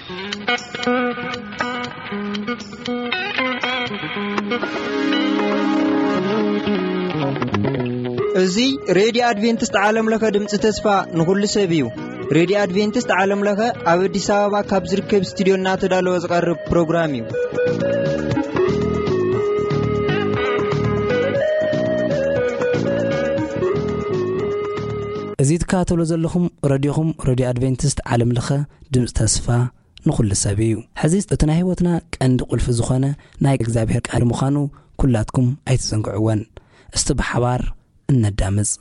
እዚ ሬድዮ ኣድቬንቲስት ዓለም ለኸ ድምፂ ተስፋ ንኹሉ ሰብ እዩ። ሬድዮ ኣድቬንቲስት ዓለም ለኸ ኣብ ኣዲስ ኣበባ ካብ ዝርከብ ስቱዲዮ እናተዳለወ ዝቐርብ ፕሮግራም እዩ። እዚ ትከታተሎ ዘለኹም ረድዮኹም፣ ረድዮ ኣድቬንቲስት ዓለም ለኸ ድምፂ ተስፋ ንኹሉ ሰብ እዩ። ሕዚ እቲ ናይ ህይወትና ቀንዲ ቁልፊ ዝኾነ ናይ እግዚኣብሔር ቃል ምዃኑ ኩላትኩም ኣይትዘንግዕወን። እስቲ ብሓባር እነዳምፅ።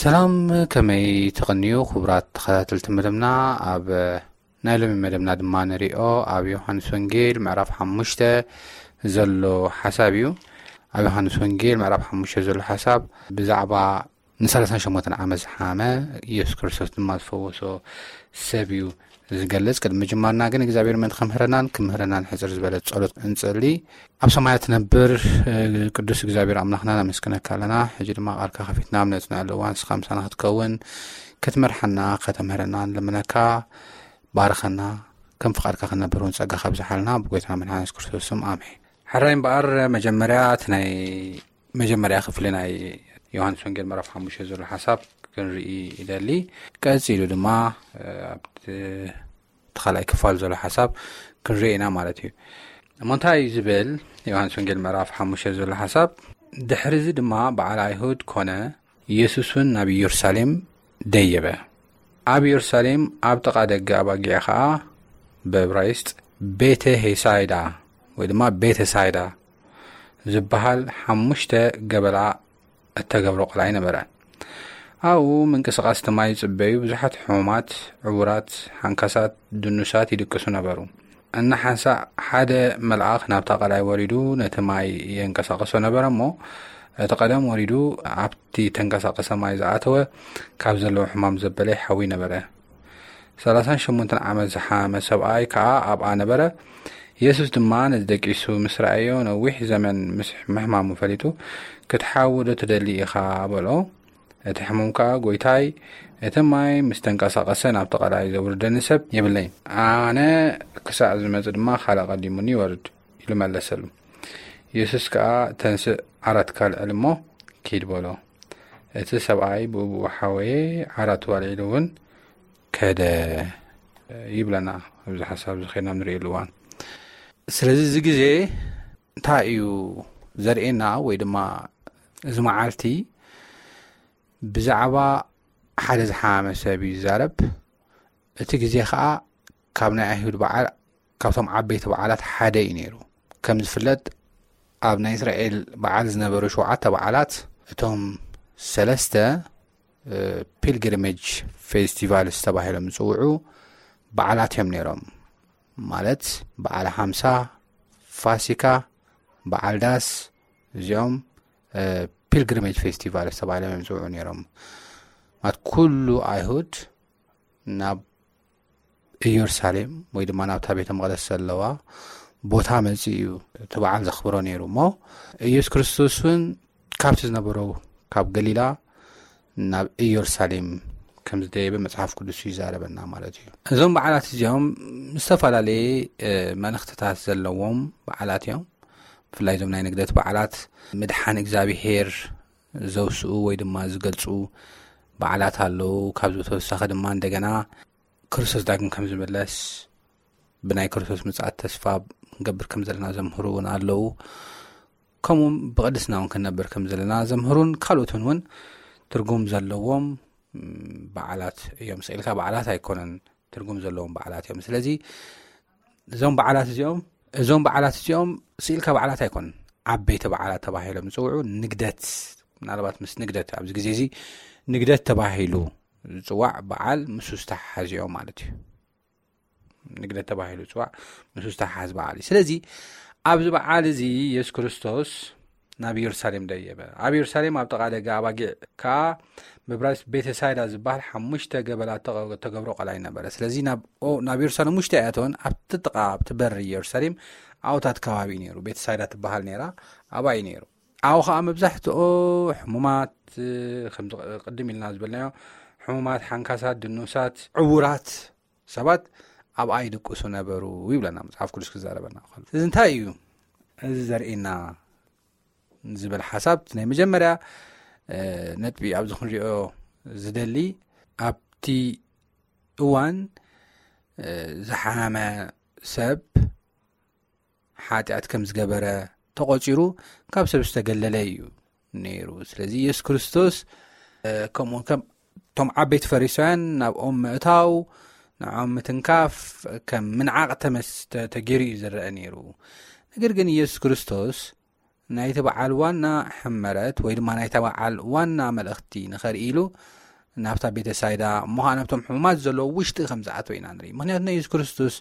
ሰላም፣ ከመይ ተቐንዩ ክቡራት ተኸታተልቲ መደብና? ኣብ ናይ ሎሚ መደብና ድማ ንሪኦ ኣብ ዮሃንስ ወንጌል ምዕራፍ ሓሙሽተ ዘሎ ሓሳብ እዩ። ኣብ ዮሃንስ ወንጌል ምዕራፍ ሓሙሽተ ዘሎ ሓሳብ ብዛዕባ ንሰላሳን ሸሞንተን ዓመት ዝሓመ ኢየሱስ ክርስቶስ ድማ ዝፈወሶ ሰብ እዩ ዝገልጽ። ቅድሚ ምጅማርና ግን እግዚኣብሔር ምእንቲ ክምህረናን ክምህረናን ሕጽር ዝበለ ጸሎት እንጸሊ። ኣብ ሰማያት ትነብር ቅዱስ እግዚኣብሔር ኣምላኽና ነመስግነካ ኣለና። ሕጂ ድማ ቃልካ ከፊትና ኣብ ነጽንዐሉ እዋን ንስኻ ምሳና ክትከውን ክትመርሓና ከተምህረና ንልምነካ። ባርኸና፣ ከም ፍቓድካ ክንነብር እውን ጸጋ ካብዝሓልና ብጎይታና መድሓኒ የሱስ ክርስቶስ ስም ኣሜን። ሕራይ እምበኣር መጀመርያ እቲ ናይ መጀመርያ ክፍሊ ናይ ዮሃንስ ወንጌል ምዕራፍ ሓሙሽተ ዘሎ ሓሳብ ክንርኢ ይደሊ። ቀጺሉ ድማ ኣብቲ እቲ ካልኣይ ክፋል ዘሎ ሓሳብ ክንርኢ ኢና ማለት እዩ። እሞ እንታይ እዩ ዝብል? ዮሃንስ ወንጌል ምዕራፍ ሓሙሽተ ዘሎ ሓሳብ፣ ድሕሪ እዚ ድማ በዓል ኣይሁድ ኮነ፣ ኢየሱስ እውን ናብ ኢየሩሳሌም ደየበ። ኣብ ኢየሩሳሌም ኣብ ጥቓ ደገ ኣባጊዕ ኸዓ ብእብራይስጥ ቤተ ሄሳይዳ ወይ ድማ ቤተ ሳይዳ ዝበሃል ሓሙሽተ ገበላ እተገብሮ ቐላይ ነበረ። ኣብኡ ምንቅስቓስ እቲ ማይ ይጽበዩ ብዙሓት ሕሙማት፣ ዕዉራት፣ ሓንካሳት፣ ድኑሳት ይድቅሱ ነበሩ። እናሓንሳእ ሓደ መልኣኽ ናብታ ቐላይ ወሪዱ ነቲ ማይ የንቀሳቕሶ ነበረ እሞ፣ እቲ ቀደም ወሪዱ ኣብቲ ተንቀሳቐሰ ማይ ዝኣተወ ካብ ዘለዎ ሕማም ዘበለ ይሓዊ ነበረ። ሰላሳን ሸሞንተን ዓመት ዝሓመ ሰብኣይ ከኣ ኣብኣ ነበረ። የሱስ ድማ ነዚ ደቂሱ ምስ ረኣዮ፣ ነዊሕ ዘመን ምስ ምሕማሙ ፈሊጡ፣ "ክትሓዊ ዶ ትደሊ ኢኻ?" በሎ። እቲ ሕሙም ከኣ፣ "ጐይታይ፣ እቲ ማይ ምስ ተንቀሳቐሰ ናብቲ ቀላይ ዘውርደኒ ሰብ የብለይን። ኣነ ክሳዕ ዝመጽእ ድማ ካልእ ኣቐዲሙኒ ይወርድ" ኢሉ መለሰሉ። የሱስ ከኣ፣ "ተንስእ፣ ዓራትካ ኣልዕል እሞ ኪድ" በሎ። እቲ ሰብኣይ ብኡብኡ ሓወየ፣ ዓራቱ ኣልዒሉ እውን ከደ ይብለና። ኣብዚ ሓሳብ እዚ ኸይድና ንርእየሉ እዋን፣ ስለዚ እዚ ግዜ እንታይ እዩ ዘርእየና? ወይ ድማ እዚ መዓልቲ ብዛዕባ ሓደ ዝሓመ ሰብ እዩ ዝዛረብ። እቲ ግዜ ኸዓ ካብ ናይ ኣይሁድ በዓል፣ ካብቶም ዓበይቲ በዓላት ሓደ እዩ ነይሩ። ከም ዝፍለጥ፣ ኣብ ናይ እስራኤል በዓል ዝነበሩ ሸውዓተ በዓላት፣ እቶም ሰለስተ ፒልግሪሜጅ ፌስቲቫልስ ተባሂሎም ዝፅውዑ በዓላት እዮም ነይሮም። ማለት በዓል ሓምሳ፣ ፋሲካ፣ በዓል ዳስ፣ እዚኦም ፒልግሪሜጅ ፌስቲቫልስ ተባሂሎም እዮም ዝፅውዑ ነይሮም። ማለት ኩሉ ኣይሁድ ናብ ኢየሩሳሌም ወይ ድማ ናብታ ቤተ መቕደስ ዘለዋ ቦታ መፂኡ እዩ እቲ በዓል ዘኽብሮ ነይሩ። እሞ ኢየሱስ ክርስቶስ እውን ካብቲ ዝነበሮ ካብ ገሊላ ናብ ኢየሩሳሌም ከም ዝደየበ መጽሓፍ ቅዱስ ይዛረበና ማለት እዩ። እዞም በዓላት እዚኦም ዝተፈላለየ፣ እ፣ መልእኽትታት ዘለዎም በዓላት እዮም። ብፍላይ እዞም ናይ ንግደት በዓላት ምድሓን እግዚኣብሔር ዘውስኡ ወይ ድማ ዝገልጹ በዓላት ኣለዉ። ካብዚ ብተወሳኺ ድማ እንደገና ክርስቶስ ዳግም ከም ዝምለስ፣ ብናይ ክርስቶስ ምጽኣት ተስፋ ክንገብር ከም ዘለና ዘምህሩ እውን ኣለዉ። ከምኡውን ብቕድስና እውን ክንነብር ከም ዘለና ዘምህሩን ካልኦትን እውን ትርጉም ዘለዎም፣ ም፣ በዓላት እዮም። ስኢልካ በዓላት ኣይኮነን፣ ትርጉም ዘለዎም በዓላት እዮም። ስለዚ እዞም በዓላት እዚኦም፣ እዞም በዓላት እዚኦም ስኢልካ በዓላት ኣይኮነን። ዓበይቲ በዓላት ተባሂሎም ዝጽውዑ፣ ንግደት፣ ምናልባት ምስ ንግደት፣ ኣብዚ ግዜ እዚ ንግደት ተባሂሉ ዝጽዋዕ በዓል ምስኡ ዝተሓሓዙ እዮም ማለት እዩ። ንግደት ተባሂሉ ዝጽዋዕ ምስኡ ዝተሓሓዝ በዓል እዩ። ስለዚ ኣብዚ በዓል እዚ የሱስ ክርስቶስ ናብ ኢየሩሳሌም ደየበ። ኣብ ኢየሩሳሌም ኣብ ጥቓ ደገ ኣባጊዕ ከኣ ብዕብራይስጥ ቤተ ሳይዳ ዝበሃል ሓሙሽተ ገበላት ተቐ-፣ ተገብሮ ቀላይ ነበረ። ስለዚ ናብ፣ ኦ-፣ ናብ ኢየሩሳሌም ውሽጢ ኣይኣተወን። ኣብቲ ጥቓ፣ ኣብቲ በሪ ኢየሩሳሌም ኣብታት ከባቢ እዩ ነይሩ። ቤተ ሳይዳ ትበሃል ነይራ፣ ኣብኣ እዩ ነይሩ። ኣብኡ ኸዓ መብዛሕትኦ ሕሙማት፣ ከምዚ ቅድም ኢልና ዝበልናዮ፣ ሕሙማት፣ ሓንካሳት፣ ድኑሳት፣ ዕዉራት ሰባት ኣብኣ ይድቅሱ ነበሩ ይብለና መጽሓፍ ቅዱስ ክዛረበና ከሎ። እዚ እንታይ እዩ እዚ ዘርእየና ዝብል ሓሳብ፣ እቲ ናይ መጀመርያ፣ እ፣ ነጥቢ ኣብዚ ክንሪኦ ዝደሊ፣ ኣብቲ እዋን፣ እ፣ ዝሓመ ሰብ ሓጢኣት ከም ዝገበረ ተቖጺሩ ካብ ሰብ ዝተገለለ እዩ ነይሩ። ስለዚ የሱስ ክርስቶስ፣ እ፣ ከምኡ ከም እቶም ዓበይቲ ፈሪሳውያን ናብኦም ምእታው፣ ንዖም ምትንካፍ ከም ምንዓቕ ተመስ-፣ ተ-፣ ተገይሩ እዩ ዝረአ ነይሩ። ነገር ግን የሱስ ክርስቶስ ናይቲ በዓል ዋና ሕመረት ወይ ድማ ናይቲ በዓል ዋና መልእኽቲ ንኸርኢ ኢሉ ናብታ ቤተ ሳይዳ እሞ ኸዓ ናብቶም ሕሙማት ዘለዉ ውሽጢ ከም ዝኣተወ ኢና ንርኢ። ምክንያቱ ናይ የሱስ ክርስቶስ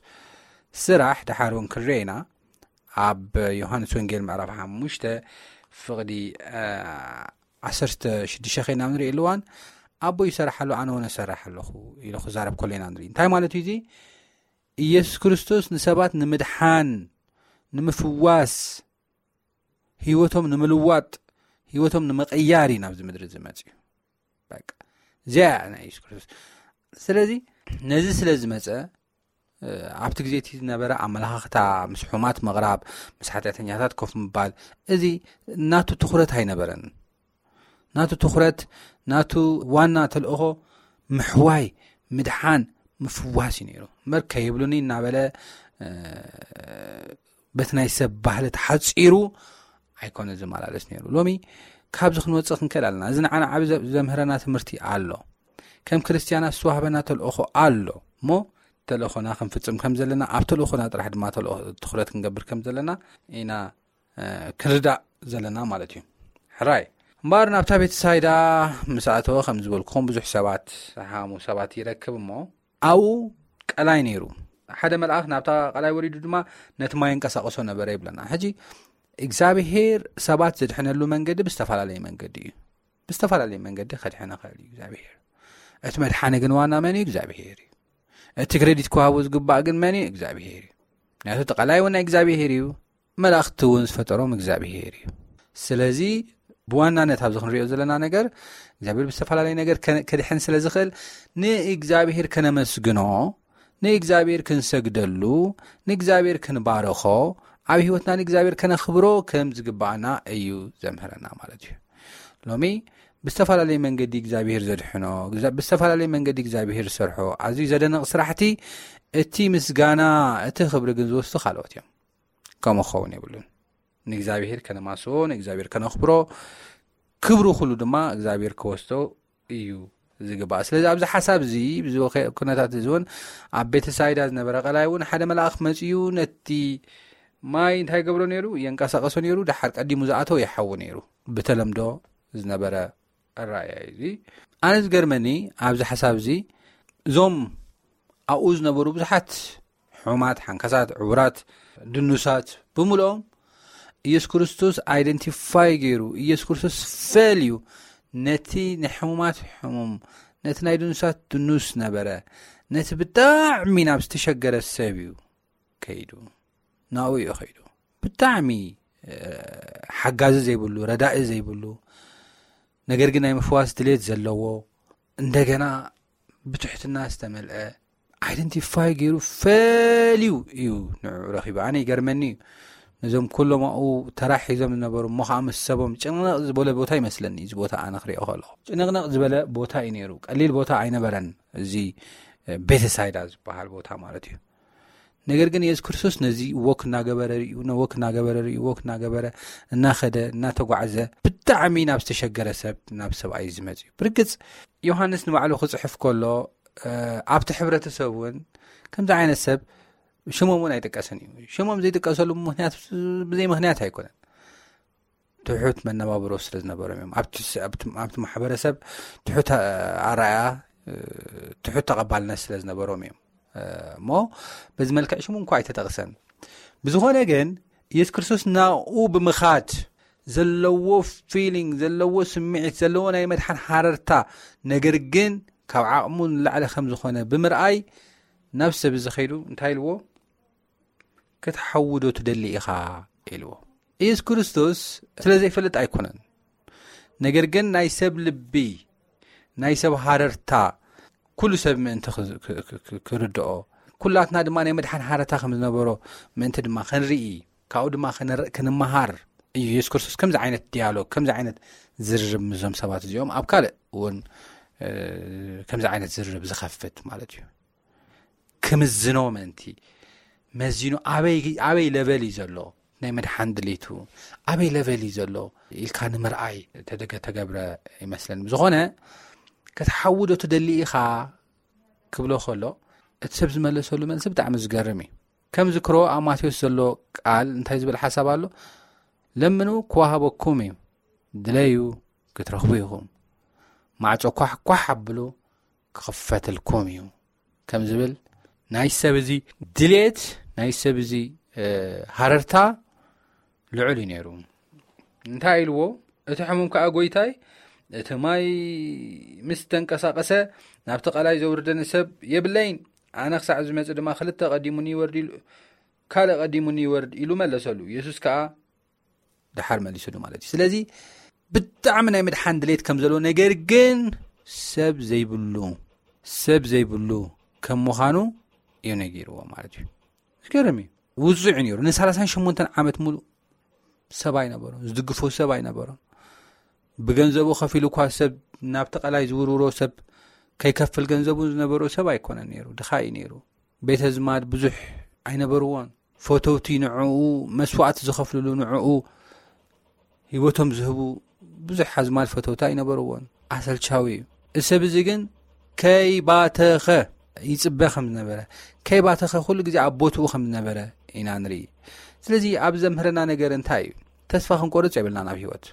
ስራሕ ድሓር እውን ክንሪኦ ኢና። ኣብ ዮሃንስ ወንጌል ምዕራፍ ሓሙሽተ ፍቕዲ ዓሰርተ ሽዱሽተ ኸይና ንሪኦ ኣለዋን ኣቦ ይሰርሕ ኣሎ ኣነ እውን እሰርሕ ኣለኹ ኢሉ ክዛረብ ከሎ ኢና ንርኢ። እንታይ ማለት እዩ እዚ? ኢየሱስ ክርስቶስ ንሰባት ንምድሓን፣ ንምፍዋስ፣ ህይወቶም ንምልዋጥ፣ ህይወቶም ንምቕያር እዩ ናብዚ ምድሪ ዝመጽእ እዩ። በቃ እዚኣ እያ ናይ ኢየሱስ ክርስቶስ። ስለዚ ነዚ ስለ ዝመጸ ኣብቲ ግዜ እቲ ዝነበረ ኣመላኻኽታ ምስ ሕሙማት ምቕራብ፣ ምስ ሓጢኣተኛታት ኮፍ ምባል፣ እዚ ናቱ ትኹረት ኣይነበረን። ናቱ ትኹረት፣ ናቱ ዋና ተልእኾ ምሕዋይ፣ ምድሓን፣ ምፍዋስ እዩ ነይሩ። እምበር ከይብሉኒ እናበለ በቲ ናይ ሰብ ባህሊ ተሓጺሩ ኣይኮነ ዝመላለስ ነይሩ። ሎሚ ካብዚ ክንወጽእ ክንክእል ኣለና። እዚ ንዓና ዓቢ ዘምህረና ትምህርቲ ኣሎ። ከም ክርስትያናት ዝተዋህበና ተልእኾ ኣሎ እሞ ተልእኾና ክንፍጽም ከም ዘለና፣ ኣብ ተልእኾና ጥራሕ ድማ ትኹረት ክንገብር ከም ዘለና ኢና ክንርዳእ ዘለና ማለት እዩ። ሕራይ እምበኣር ናብታ ቤተ ሳይዳ ምስ ኣተወ ከም ዝበልኩኹም ብዙሕ ሰባት ሓሙ ሰባት ይረክብ እሞ ኣብኡ ቀላይ ነይሩ። ሓደ መልኣኽ ናብታ ቀላይ ወሪዱ ድማ ነቲ ማይ እንቀሳቀሶ ነበረ ይብለና። ሕጂ እግዚኣብሄር ሰባት ዝድሕነሉ መንገዲ ብዝተፈላለየ መንገዲ እዩ። ብዝተፈላለየ መንገዲ ከድሕነ ኽእል እዩ እግዚኣብሄር። እቲ መድሓኒ ግን ዋና መን እዩ? እግዚኣብሄር እዩ። እቲ ክሬዲት ክዋሃቦ ዝግባእ ግን መን እዩ? እግዚኣብሄር እዩ። ምክንያቱ እቲ ቀላይ እውን ናይ እግዚኣብሄር እዩ። መላእኽቲ እውን ዝፈጠሮም እግዚኣብሄር እዩ። ስለዚ ብዋናነት ኣብዚ ክንሪኦ ዘለና ነገር እግዚኣብሄር ብዝተፈላለየ ነገር ከድሕን ስለ ዝኽእል ንእግዚኣብሄር ከነመስግኖ፣ ንእግዚኣብሄር ክንሰግደሉ፣ ንእግዚኣብሄር ክንባርኾ፣ ኣብ ህይወትና ንእግዚኣብሄር ከነኽብሮ ከም ዝግባኣና እዩ ዘምህረና ማለት እዩ። ሎሚ ብዝተፈላለየ መንገዲ እግዚኣብሄር ዘድሕኖ፣ ብዝተፈላለየ መንገዲ እግዚኣብሄር ዝሰርሖ ኣዝዩ ዘደንቕ ስራሕቲ፣ እቲ ምስጋና፣ እቲ ክብሪ ግን ዝወስዱ ካልኦት እዮም። ከምኡ ክኸውን የብሉን። ንእግዚኣብሄር ከነማስቦ፣ ንእግዚኣብሄር ከነኽብሮ፣ ክብሩ ኩሉ ድማ እግዚኣብሄር ክወስዶ እዩ ዝግባእ። ስለዚ ኣብዚ ሓሳብ እዚ፣ እዚ ኩነታት እዚ እውን ኣብ ቤተሳይዳ ዝነበረ ቀላይ እውን ሓደ መልኣኽ መጺኡ ነቲ ማይ እንታይ ገብሮ ነይሩ? የንቀሳቀሶ ነይሩ። ድሓር ቀዲሙ ዝኣተወ ይሓዊ ነይሩ። ብተለምዶ ዝነበረ ኣረኣእያ እዩ እዚ። ኣነ ዝገርመኒ ኣብዚ ሓሳብ እዚ እዞም ኣብኡ ዝነበሩ ብዙሓት ሕሙማት፣ ሓንካሳት፣ ዕውራት፣ ድኑሳት ብምልኦም ኢየሱስ ክርስቶስ ኣይደንቲፋይ ገይሩ፣ ኢየሱስ ክርስቶስ ፈልዩ ነቲ ንሕሙማት ሕሙም፣ ነቲ ናይ ድኑሳት ድኑስ ነበረ፣ ነቲ ብጣዕሚ ናብ ዝተሸገረ ሰብ እዩ ከይዱ። ናብኡ እዩ ከይዱ። ብጣዕሚ ሓጋዚ ዘይብሉ፣ ረዳኢ ዘይብሉ፣ ነገር ግን ናይ ምፍዋስ ድሌት ዘለዎ፣ እንደገና ብትሕትና ዝተመልአ፣ ኣይደንቲፋይ ገይሩ ፈልዩ እዩ ንዕኡ ረኺቡ። ኣነ ይገርመኒ እዩ። ነዞም ኩሎም ኣብኡ ተራ ሒዞም ዝነበሩ እሞ ከዓ ምስ ሰቦም ጭንቕንቕ ዝበለ ቦታ ይመስለኒ። እዚ ቦታ ኣነ ክሪኦ ከለኹ ጭንቕንቕ ዝበለ ቦታ እዩ ነይሩ። ቀሊል ቦታ ኣይነበረን። እዚ ቤተሳይዳ ዝበሃል ቦታ ማለት እዩ። ነገር ግን የሱስ ክርስቶስ ነዚ ወክ እናገበረ ሪኡ፣ ወክ እናገበረ ሪኡ፣ ወክ እናገበረ እናኸደ እናተጓዕዘ ብጣዕሚ ናብ ዝተሸገረ ሰብ ናብ ሰብኣይ ዝመፅ እዩ። ብርግፅ ዮሃንስ ንባዕሉ ክፅሕፍ ከሎ ኣብቲ ሕብረተሰብ እውን ከምዚ ዓይነት ሰብ ሽሞም እውን ኣይጥቀስን እዩ። ሽሞም ዘይጥቀሰሉ ምክንያት ብዘይ ምክንያት ኣይኮነን። ትሑት መነባብሮ ስለ ዝነበሮም እዮም። ኣብቲ ማሕበረሰብ ትሑት ኣረኣያ፣ ትሑት ተቐባልነት ስለ ዝነበሮም እዮም እሞ በዚ መልክዕ ሽሙ እንኳ ኣይተጠቕሰን። ብዝኾነ ግን ኢየሱስ ክርስቶስ ናብኡ ብምኻድ ዘለዎ ፊሊንግ፣ ዘለዎ ስምዒት፣ ዘለዎ ናይ መድሓን ሃረርታ፣ ነገር ግን ካብ ዓቕሙ ንላዕሊ ከም ዝኾነ ብምርኣይ ናብ ሰብ እዚ ከይዱ እንታይ ኢልዎ? ክትሓዊ ዶ ትደሊ ኢኻ? ኢልዎ። ኢየሱስ ክርስቶስ ስለ ዘይፈልጥ ኣይኮነን፣ ነገር ግን ናይ ሰብ ልቢ፣ ናይ ሰብ ሃረርታ ኩሉ ሰብ ምእንቲ ክርድኦ፣ ኩላትና ድማ ናይ መድሓን ሃረርታ ከም ዝነበሮ ምእንቲ ድማ ክንርኢ፣ ካብኡ ድማ ክንመሃር እዩ ኢየሱስ ክርስቶስ ከምዚ ዓይነት ዲያሎግ፣ ከምዚ ዓይነት ዝርርብ ምስዞም ሰባት እዚኦም ኣብ ካልእ እውን ከምዚ ዓይነት ዝርርብ ዝኸፍት ማለት እዩ። ክምዝኖ ምእንቲ መዚኑ ኣበይ ሌቨል እዩ ዘሎ፣ ናይ መድሓን ድሌቱ ኣበይ ሌቨል እዩ ዘሎ ኢልካ ንምርኣይ ተገብረ ይመስለኒ። ብዝኾነ ክትሓዊ ዶ ትደሊ ኢኻ ክብሎ ከሎ እቲ ሰብ ዝመለሰሉ መልሲ ብጣዕሚ ዝገርም እዩ። ከም ዝክሮ ኣብ ማቴዎስ ዘሎ ቃል እንታይ ዝብል ሓሳብ ኣሎ? ለምኑ ክወሃበኩም እዩ፣ ድለዩ ክትረኽቡ ኢኹም፣ ማዕጾ ኳሕ ኳሕ ኣብሉ ክኽፈትልኩም እዩ ከም ዝብል፣ ናይ ሰብ እዚ ድሌት፣ ናይ ሰብ እዚ ሃረርታ ልዑል እዩ ነይሩ። እንታይ ኢልዎ? እቲ ሕሙም ከኣ ጎይታይ፣ እቲ ማይ ምስ ተንቀሳቐሰ ናብቲ ቀላይ ዘውርደኒ ሰብ የብለይን፣ ኣነ ክሳዕ ዝመጽእ ድማ ክልተ ቀዲሙኒ ይወርድ ኢሉ፣ ካልእ ቀዲሙኒ ይወርድ ኢሉ መለሰሉ። የሱስ ከኣ ደሓር መሊሱሉ ማለት እዩ። ስለዚ ብጣዕሚ ናይ ምድሓን ድሌት ከም ዘለዎ፣ ነገር ግን ሰብ ዘይብሉ ሰብ ዘይብሉ ከም ምዃኑ እዩ ነጊርዎ ማለት እዩ። ዝገርም እዩ። ውጹዕ እዩ ነይሩ። ን38 ዓመት ሙሉእ ሰብ ኣይነበሮን፣ ዝድግፎ ሰብ ኣይነበሮን። ብገንዘቡ ከፊሉ እኳ ሰብ ናብቲ ቀላይ ዝውርውሮ ሰብ ከይከፍል ገንዘቡ ዝነበሮ ሰብ ኣይኮነን ነይሩ። ድኻ እዩ ነይሩ። ቤተ ዝማድ ብዙሕ ኣይነበርዎን። ፈተውቲ ንዕኡ መስዋዕቲ ዝኸፍልሉ፣ ንዕኡ ህይወቶም ዝህቡ ብዙሕ ኣዝማድ ፈተውቲ ኣይነበርዎን። ኣሰልቻዊ እዩ። እዚ ሰብ እዚ ግን ከይባተኸ ይጽበ ከም ዝነበረ፣ ከይባተኸ ኩሉ ግዜ ኣብ ቦትኡ ከም ዝነበረ ኢና ንርኢ። ስለዚ ኣብ ዘምህረና ነገር እንታይ እዩ? ተስፋ ክንቆርጽ የብልናን ኣብ ህይወት።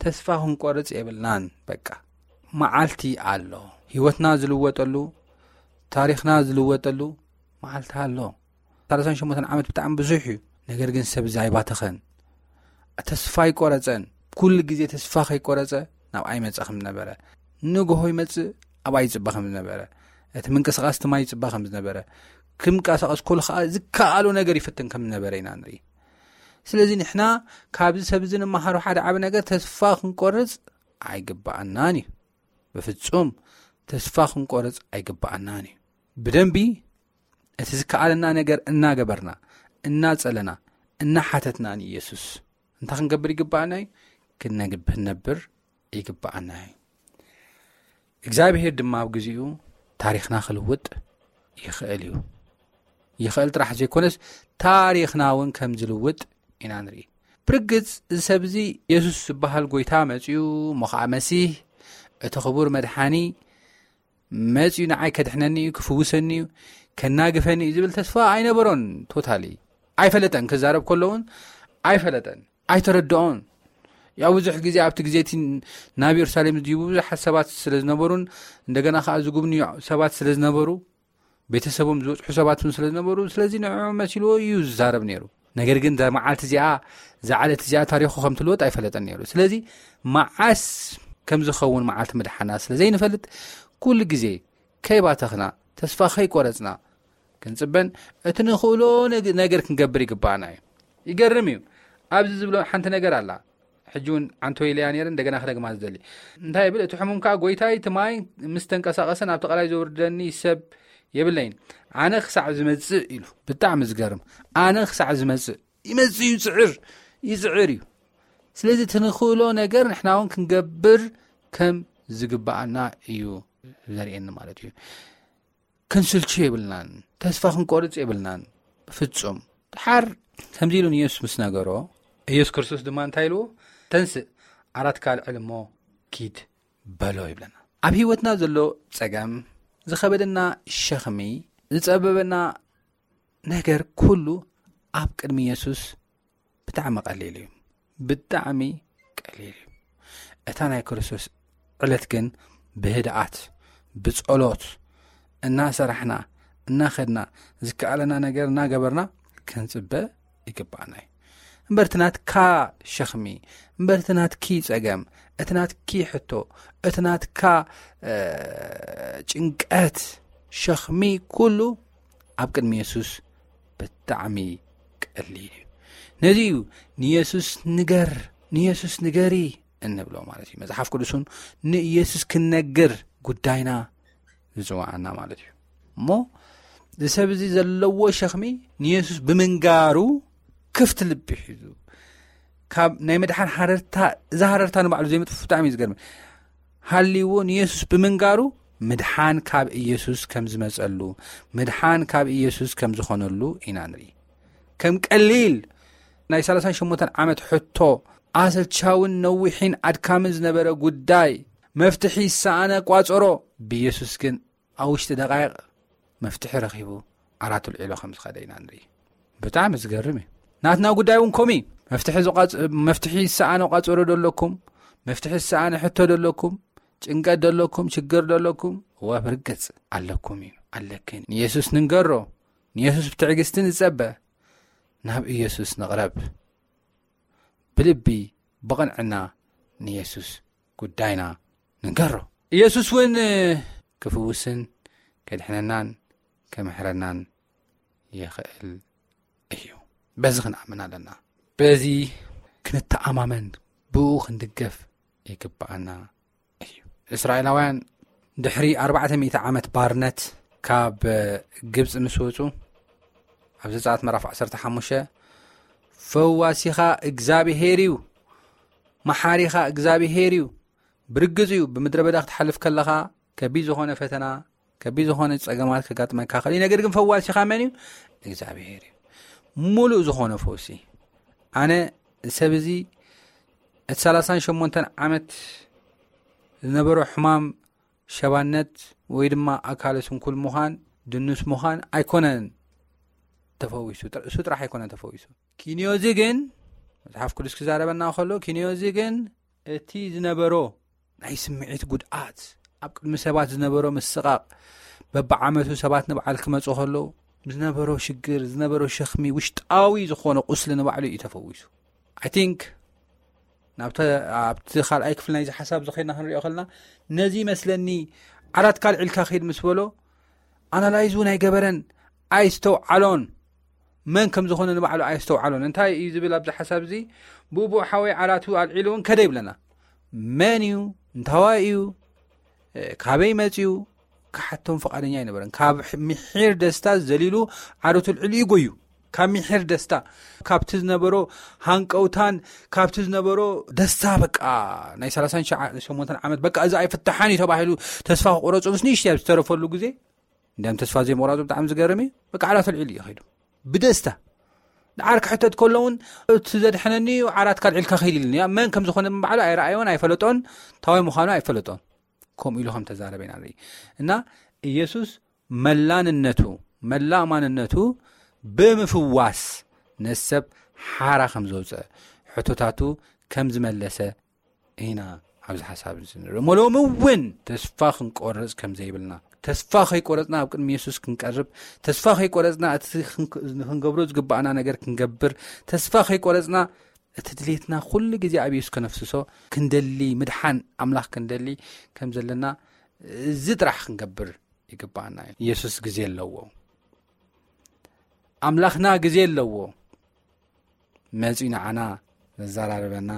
ተስፋ ክንቆርጽ የብልናን። በቃ መዓልቲ ኣሎ። ህይወትና ዝልወጠሉ፣ ታሪኽና ዝልወጠሉ መዓልቲ ኣሎ። 38 ዓመት ብጣዕሚ ብዙሕ እዩ። ነገር ግን ሰብ እዚ ኣይባተኸን። ተስፋ ኣይቆረጸን። ኩሉ ግዜ ተስፋ ከይቆረጸ ናብ ኣይመጸ ከም ዝነበረ፣ ንግሆ ይመጽእ፣ ኣብ ኣይጽበ ከም ዝነበረ፣ እቲ ምንቅስቃስ ትማይ ይጽበ ከም ዝነበረ፣ ክምንቀሳቀስ ከሎ ከዓ ዝከኣሎ ነገር ይፍትን ከም ዝነበረ ኢና ንርኢ። ስለዚ ንሕና ካብዚ ሰብ እዚ ንመሃሮ ሓደ ዓቢ ነገር፣ ተስፋ ክንቆርጽ ኣይግባኣናን እዩ። ብፍጹም ተስፋ ክንቆርጽ ኣይግባኣናን እዩ። ብደንቢ እቲ ዝከኣለና ነገር እናገበርና፣ እናጸለና፣ እናሓተትና ንኢየሱስ እንታይ ክንገብር ይግባኣና እዩ? ክነግብ-፣ ክንነብር ይግባኣና እዩ። እግዚኣብሔር ድማ ኣብ ግዜኡ ታሪኽና ክልውጥ ይኽእል እዩ። ይኽእል ጥራሕ ዘይኮነስ ታሪኽና እውን ከም ዝልውጥ ኢና ንርኢ። ብርግጽ እዚ ሰብ እዚ የሱስ ዝበሃል ጎይታ መጺኡ፣ እሞ ኸዓ መሲህ፣ እቲ ክቡር መድሓኒ መጺኡ ንዓይ ከድሕነኒ እዩ፣ ክፍውሰኒ እዩ፣ ከናግፈኒ እዩ ዝብል ተስፋ ኣይነበሮን። ቶታሊ ኣይፈለጠን። ክዛረብ ከሎ እውን ኣይፈለጠን፣ ኣይተረድኦን። ያው ብዙሕ ግዜ ኣብቲ ግዜ እቲ ናብ የሩሳሌም ዝድይቡ ብዙሓት ሰባት ስለ ዝነበሩን እንደገና ኸዓ ዝጉብንዩ ሰባት ስለ ዝነበሩ፣ ቤተሰቦም ዝበጽሑ ሰባት እውን ስለ ዝነበሩ፣ ስለዚ ንዕኦም መሲልዎ እዩ ዝዛረብ ነይሩ። ነገር ግን እዛ መዓልቲ እዚኣ፣ እዛ ዕለት እዚኣ ታሪኹ ከም ትልወጥ ኣይፈለጠን ነይሩ። ስለዚ መዓስ ከም ዝኸውን መዓልቲ ምድሓና ስለ ዘይንፈልጥ፣ ኩሉ ግዜ ከይባተኽና፣ ተስፋ ከይቆረጽና ክንጽበን እቲ ንኽእሎ ነግ-፣ ነገር ክንገብር ይግባኣና እዩ። ይገርም እዩ። ኣብዚ ዝብሎ ሓንቲ ነገር ኣላ። ሕጂ እውን ዓንቶ ኢለያ ነይረ፣ እንደገና ክደግማ ዝደሊ። እንታይ ይብል? እቲ ሕሙም ከኣ፣ "ጎይታይ፣ እቲ ማይ ምስ ተንቀሳቐሰ ናብቲ ቀላይ ዘውርደኒ ሰብ የብለይን። ኣነ ክሳዕ ዝመጽእ" ኢሉ። ብጣዕሚ ዝገርም። "ኣነ ክሳዕ ዝመጽእ" ይመጽእ እዩ፣ ይጽዕር፣ ይጽዕር እዩ። ስለዚ እቲ ንኽእሎ ነገር ንሕና እውን ክንገብር ከም ዝግባኣና እዩ ዘርእየኒ ማለት እዩ። ክንስልቹ የብልናን፣ ተስፋ ክንቆርጽ የብልናን። ፍጹም። ድሓር ከምዚ ኢሉ ንየሱስ ምስ ነገሮ፣ ኢየሱስ ክርስቶስ ድማ እንታይ ኢልዎ? "ተንስእ፣ ዓራትካ ኣልዕል እሞ ኪድ" በሎ ይብለና። ኣብ ህይወትና ዘሎ ጸገም፣ ዝኸበደና ሸኽሚ፣ ዝጸበበና ነገር ኩሉ ኣብ ቅድሚ የሱስ ብጣዕሚ ቀሊል እዩ። ብጣዕሚ ቀሊል እዩ። እታ ናይ ክርስቶስ ዕለት ግን ብህድኣት፣ ብጸሎት፣ እናሰራሕና፣ እናኸድና፣ ዝከኣለና ነገር እናገበርና ክንጽበ ይግባኣና እዩ። እምበር እቲ ናትካ ሸኽሚ፣ እምበር እቲ ናትኪ ጸገም፣ እቲ ናትኪ ሕቶ፣ እቲ ናትካ፣ እ፣ ጭንቀት፣ ሸኽሚ ኩሉ ኣብ ቅድሚ የሱስ ብጣዕሚ ቀሊል እዩ። ነዚ እዩ ንየሱስ ንገር፣ ንየሱስ ንገሪ እንብሎ ማለት እዩ። መጽሓፍ ቅዱስ እውን ንኢየሱስ ክንነግር ጉዳይና ዝጽውዓና ማለት እዩ። እሞ እዚ ሰብ እዚ ዘለዎ ሸኽሚ ንየሱስ ብምንጋሩ ክፍቲ ልቢ ሒዙ ካብ ናይ ምድሓን ሃረርታ፣ እዛ ሃረርታ ንባዕሉ ዘይምጥፉ ብጣዕሚ እዩ ዝገርም። ሃልይዎ ንየሱስ ብምንጋሩ ምድሓን ካብ ኢየሱስ ከም ዝመጸሉ፣ ምድሓን ካብ ኢየሱስ ከም ዝኾነሉ ኢና ንርኢ። ከም ቀሊል ናይ 38 ዓመት ሕቶ፣ ኣሰልቻውን ነዊሕን ኣድካምን ዝነበረ ጉዳይ፣ መፍትሒ ዝሰኣነ ቋጸሮ፣ ብኢየሱስ ግን ኣብ ውሽጢ ደቃይቕ መፍትሒ ረኺቡ ዓራቱ ልዒሎ ከም ዝኸደ ኢና ንርኢ። ብጣዕሚ ዝገርም እዩ። ናትና ጉዳይ እውን ከምኡ እዩ። መፍትሒ ዝቋጽ-፣ መፍትሒ ዝሰኣነ ቋጸሮ ደለኩም፣ መፍትሒ ዝሰኣነ ሕቶ ደለኩም፣ ጭንቀት ደለኩም፣ ሽግር ደለኩም፣ እወ ብርግጽ ኣለኩም እዩ፣ ኣለክን። ንየሱስ ንንገሮ፣ ንየሱስ ብትዕግስቲ ንጸበ፣ ናብ ኢየሱስ ንቕረብ። ብልቢ ብቕንዕና ንየሱስ ጉዳይና ንንገሮ። ኢየሱስ እውን ክፍውስን ከድሕነናን ከምሕረናን ይኽእል እዩ። በዚ ክንኣምን ኣለና። በዚ ክንተኣማመን፣ ብኡ ክንድገፍ ይግብኣና እዩ። እስራኤላውያን ድሕሪ ኣርባዕተ ሚእቲ ዓመት ባርነት ካብ ግብጺ ምስ ወጹ፣ ኣብ ዘጸኣት ምዕራፍ ዓሰርተ ሓሙሽተ፣ "ፈዋሲኻ እግዚኣብሄር እዩ፣ መሓሪኻ እግዚኣብሄር እዩ፣ ብርግጽ እዩ፣ ብምድረ በዳ ክትሓልፍ ከለኻ ከቢድ ዝኾነ ፈተና፣ ከቢድ ዝኾነ ጸገማት ከጋጥመካ ይኽእል እዩ፣ ነገር ግን ፈዋሲኻ መን እዩ? እግዚኣብሄር እዩ። ሙሉእ ዝኾነ ፈውሲ። ኣነ ሰብ እዚ እቲ ሰላሳን ሸሞንተን ዓመት ዝነበሮ ሕማም ሸባነት ወይ ድማ ኣካለ ስንኩል ምዃን፣ ድኑስ ምዃን ኣይኮነን ተፈዊሱ፣ ጥር-፣ እሱ ጥራሕ ኣይኮነን ተፈዊሱ። ኪንዮ እዚ ግን፣ መጽሓፍ ቅዱስ ክዛረበና ከሎ፣ ኪንዮ እዚ ግን እቲ ዝነበሮ ናይ ስምዒት ጉድኣት፣ ኣብ ቅድሚ ሰባት ዝነበሮ ምስቓቕ፣ በብዓመቱ ሰባት ንበዓል ክመጹ ከለዉ ዝነበሮ ሽግር፣ ዝነበሮ ሸኽሚ፣ ውሽጣዊ ዝኾነ ቁስሊ ንባዕሉ እዩ ተፈዊሱ። I think ናብተ-፣ ኣብቲ ካልኣይ ክፍሊ ናይዚ ሓሳብ ዝኸድና ክንሪኦ ከለና፣ ነዚ ይመስለኒ ዓራት ካልዒልካ ኸይድ ምስ በሎ፣ ኣናላይዝ እውን ኣይገበረን፣ ኣይስተውዓሎን። መን ከም ዝኾነ ንባዕሉ ኣይስተውዓሎን። እንታይ እዩ ዝብል ኣብዚ ሓሳብ እዚ? ብኡብኡ ሓወይ ዓራቱ ኣልዒሉ እውን ከደ ይብለና። መን እዩ? እንታዋይ እዩ? እ፣ ካበይ መጺኡ? ክሓቶም ፍቓደኛ ኣይነበረን። ካብ ሕ-፣ ምሒር ደስታ ዘሊሉ ዓረቱ ኣልዒሉ እዩ ጎዩ። ካብ ምሒር ደስታ፣ ካብቲ ዝነበሮ ሃንቀውታን ካብቲ ዝነበሮ ደስታ፣ በቃ ናይ ሰላሳን ሸሞንተን ዓመት በቃ እዚ ኣይፍታሓን እዩ ተባሂሉ ተስፋ ክቑረጹ ምስ ንእሽተይ ኣብ ዝተረፈሉ ግዜ፣ እንዲያም ተስፋ ዘይምቑራጹ ብጣዕሚ ዝገርም እዩ። በቃ ዓራት ኣልዒሉ እዩ ከይዱ ብደስታ። ደሓር ክሕተት ከሎ እውን፣ "እቲ ዘድሐነኒ እዩ፣ ዓራት ካልዒልካ ከይድ" ኢሉኒ። መን ከም ዝኾነ ባዕሉ ኣይረኣዮን ኣይፈለጦን፣ ታዋይ ምዃኑ ኣይፈለጦን። ከምኡ ኢሉ ከም ተዛረበ ኢና ንርኢ። እና ኢየሱስ መላንነቱ፣ መላእ ማንነቱ ብምፍዋስ ነሰብ ሓራ ከም ዘውፀ፣ ሕቶታቱ ከም ዝመለሰ ኢና ኣብዚ ሓሳብ እዚ ንርኢ። እሞ ሎሚ እውን ተስፋ ክንቆርጽ ከም ዘይብልና፣ ተስፋ ከይቆረጽና ኣብ ቅድሚ የሱስ ክንቀርብ፣ ተስፋ ከይቆረጽና እቲ ክንክ-፣ ክንገብሮ ዝግባኣና ነገር ክንገብር፣ ተስፋ ከይቆረጽና እቲ ድሌትና ኩሉ ግዜ ኣብ የሱስ ከነፍስሶ ክንደሊ፣ ምድሓን ኣምላኽ ክንደሊ ከም ዘለና፣ እዚ ጥራሕ ክንገብር ይግባኣና እዩ። የሱስ ግዜ ኣለዎ። ኣምላኽና ግዜ ኣለዎ። መጺኡ ንዓና ዘዘራርበና፣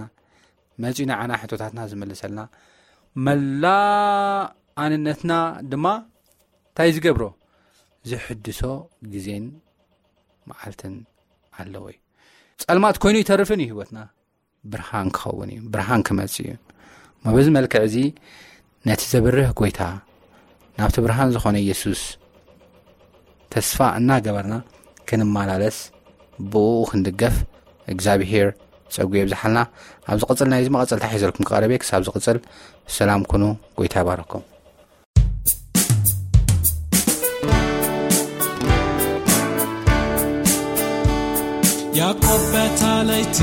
መጺኡ ንዓና ሕቶታትና ዝምልሰልና፣ መላእ ኣንነትና ድማ እንታይ ዝገብሮ? ዝሕድሶ ግዜን መዓልትን ኣለዎ እዩ። ጸልማት ኮይኑ ይተርፍን እዩ ህይወትና። ብርሃን ክኸውን እዩ፣ ብርሃን ክመጽእ እዩ። እሞ በዚ መልክዕ እዚ ነቲ ዘብርህ ጎይታ፣ ናብቲ ብርሃን ዝኾነ ኢየሱስ ተስፋ እናገበርና ክንመላለስ፣ ብእኡ ክንድገፍ እግዚኣብሄር ጸጉ የብዝሓልና። ኣብ ዝቕጽል ናይዚ መቐጸልታ ሒዘልኩም ክቐርብ እየ። ክሳብ ዝቕጽል ሰላም ኩኑ፣ ጎይታ ይባረኩም። ያዕቆብ በታ ለይቲ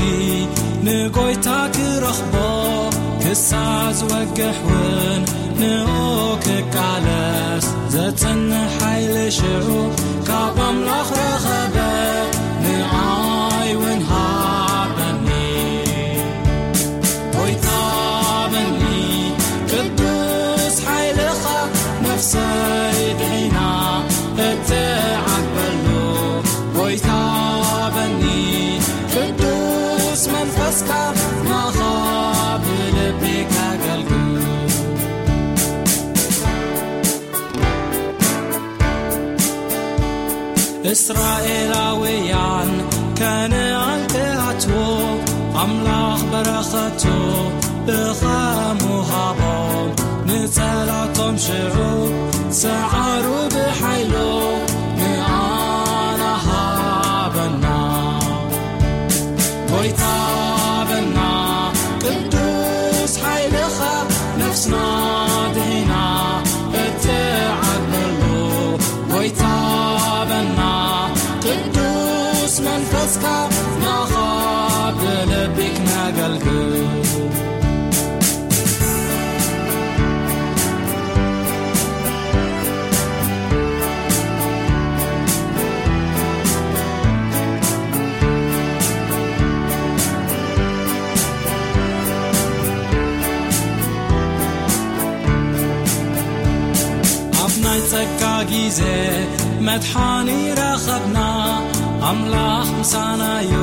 ንጎይታ ክረኽቦ ክሳዕ ዝወግሕ እውን ንኡ ክቃለስ ዘጽንሕ ሓይሊ ሽዑ ካብ ኣምላኽ ረኸበ። ንዓይ እውን ሃበኒ ጎይታ በኒ ቅዱስ ሓይልኻ ነፍሰይ ድሒና እትዓበሉ ጎይታ በኒ ቅዱስ መንፈስካ ናኻ ብልቢ ከገልግል። እስራኤላውያን ከነኣን ክኣትዉ ኣምላኽ በረኸቱ ብኸምኡ ሃቦም። ንጸላቶም ሽዑ ሰዓሩ ብሓይሉ ንኣና ሃበና። ጎይታ በና ቅዱስ ሓይልኻ ነፍስና ድሒና እትዓበሉ። ጎይታ በና ቅዱስ መንፈስካ ናኻ ብልቢ ኣብ ናይ ጸጋ ግዜ መድሓኒ ረኸብና፣ ኣምላኽ ምሳናዮ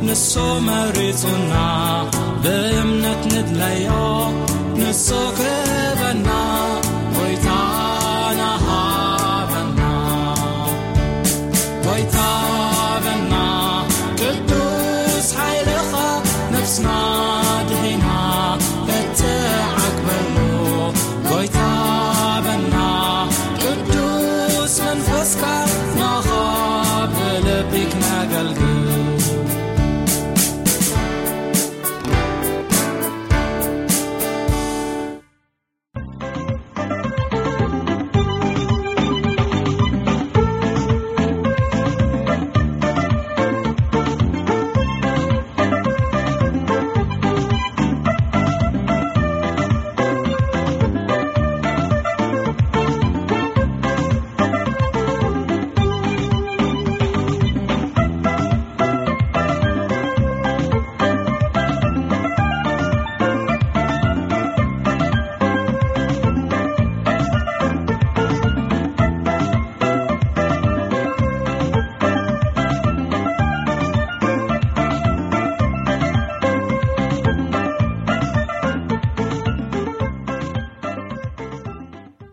ንሱ መሪጹና፣ ብእምነት ንድለዮ ንሱ